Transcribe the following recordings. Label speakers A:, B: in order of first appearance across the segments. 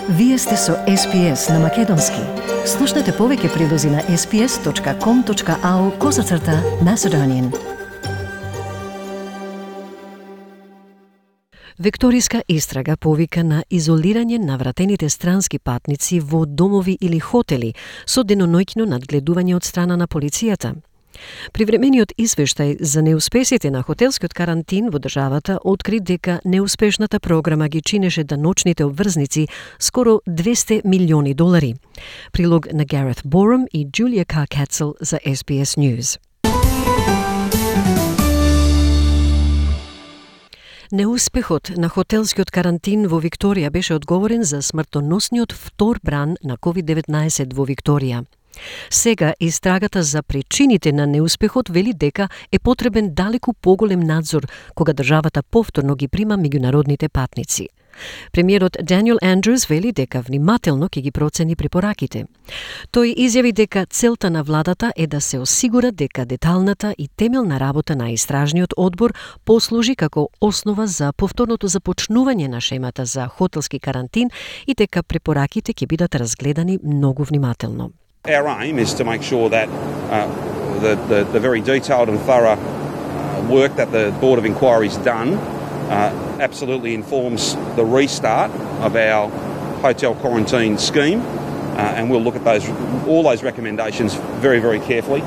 A: Вие сте со SPS на Македонски. Слушнете повеќе прилози на sps.com.au/Macedonian. Викторијска истрага повика на изолирање на вратените странски патници во домови или хотели со деноноќно надгледување од страна на полицијата. Привремениот извештај за неуспесите на хотелскиот карантин во државата откри дека неуспешната програма ги чинеше даночните обврзници скоро $200 милиони. Прилог на Гарет Борум и Джулија Каркацел за SBS News. Неуспехот на хотелскиот карантин во Викторија беше одговорен за смртоносниот втор бран на COVID-19 во Викторија. Сега истрагата за причините на неуспехот вели дека е потребен далеку поголем надзор кога државата повторно ги прима меѓународните патници. Премиерот Даниел Андрус вели дека внимателно ќе ги процени препораките. Тој изјави дека целта на владата е да се осигура дека деталната и темелна работа на истражниот одбор послужи како основа за повторното започнување на шемата за хотелски карантин и дека препораките ќе бидат разгледани многу внимателно.
B: Our aim is to make sure that the very detailed and thorough work that the Board of Inquiry's done absolutely informs the restart of our hotel quarantine scheme, and we'll look at all those recommendations very, very carefully.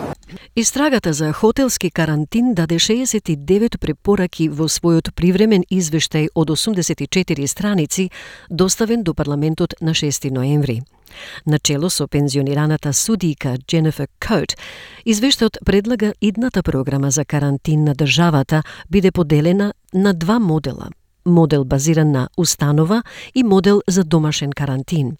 A: Истрагата за хотелски карантин даде 69 препораки во својот привремен извештај од 84 страници, доставен до парламентот на 6 ноември. Начело со пензионираната судијка Дженефер Коут, извештајот предлага идната програма за карантин на државата биде поделена на два модела. Модел базиран на установа и модел за домашен карантин.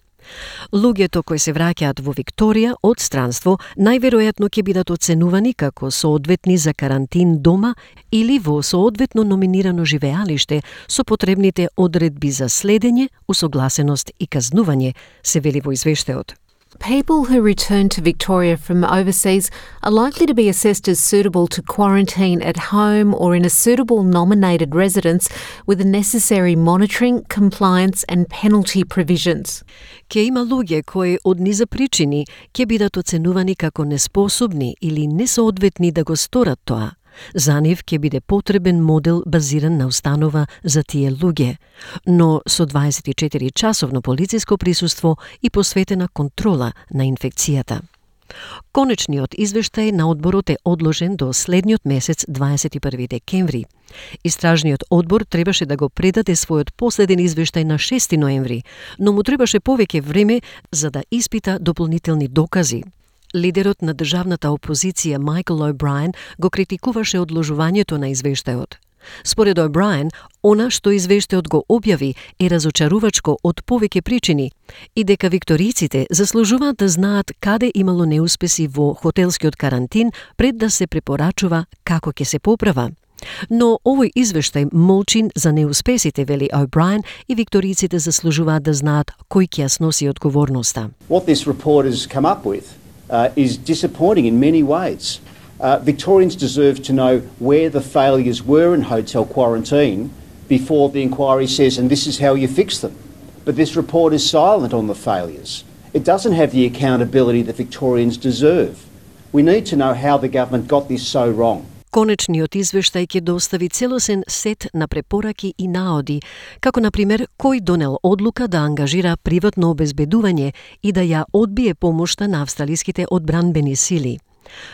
A: Луѓето кои се враќаат во Викторија од странство најверојатно ќе бидат оценувани како соодветни за карантин дома или во соодветно номинирано живеалиште со потребните одредби за следење, усогласеност и казнување, се вели во извештајот.
C: People who return to Victoria from overseas are likely to be assessed as suitable to quarantine at home or in a suitable nominated residence with the necessary monitoring, compliance and penalty provisions.
A: Ке има луѓе кои од низа причини ќе бидат оценувани како неспособни или несоодветни да го сторат тоа. За нив ќе биде потребен модел базиран на установа за тие луѓе, но со 24-часовно полициско присуство и посветена контрола на инфекцијата. Конечниот извештај на одборот е одложен до следниот месец 21 декември. Истражниот одбор требаше да го предаде својот последен извештај на 6 ноември, но му требаше повеќе време за да испита дополнителни докази. Лидерот на државната опозиција Майкл О'Брајен го критикуваше одложувањето на извештајот. Според О'Брајен, она што извештајот го објави е разочарувачко од повеќе причини и дека викториците заслужуваат да знаат каде имало неуспеси во хотелскиот карантин пред да се препорачува како ќе се поправа. Но овој извештај молчи за неуспесите, вели О'Брајен, и викториците заслужуваат да знаат кој ќе ја сноси одговорноста.
D: What this report has come up with is disappointing in many ways. Victorians deserve to know where the failures were in hotel quarantine before the inquiry says, and this is how you fix them. But this report is silent on the failures. It doesn't have the accountability that Victorians deserve. We need to know how the government got this so wrong.
A: Конечниот извештај ќе достави целосен сет на препораки и наоди, како на пример кој донел одлука да ангажира приватно обезбедување и да ја одбие помошта на австралиските одбранбени сили.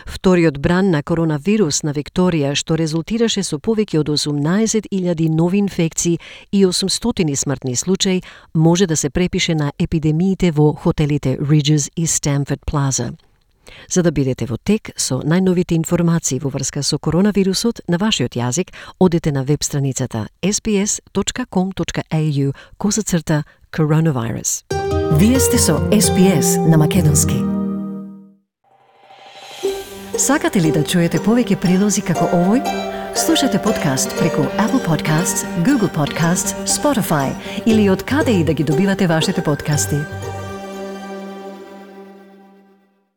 A: Вториот бран на коронавирус на Викторија, што резултираше со повеќе од 18.000 нови инфекции и 800 смртни случаи, може да се препише на епидемиите во хотелите Ridges и Stamford Plaza. За да бидете во тек со најновите информации во врска со коронавирусот на вашиот јазик, одете на веб страницата sbs.com.au/coronavirus. Вие сте со SBS на Македонски. Сакате ли да чуете повеќе прилози како овој? Слушате подкаст преку Apple Podcasts, Google Podcasts, Spotify или од каде и да ги добивате вашите подкасти.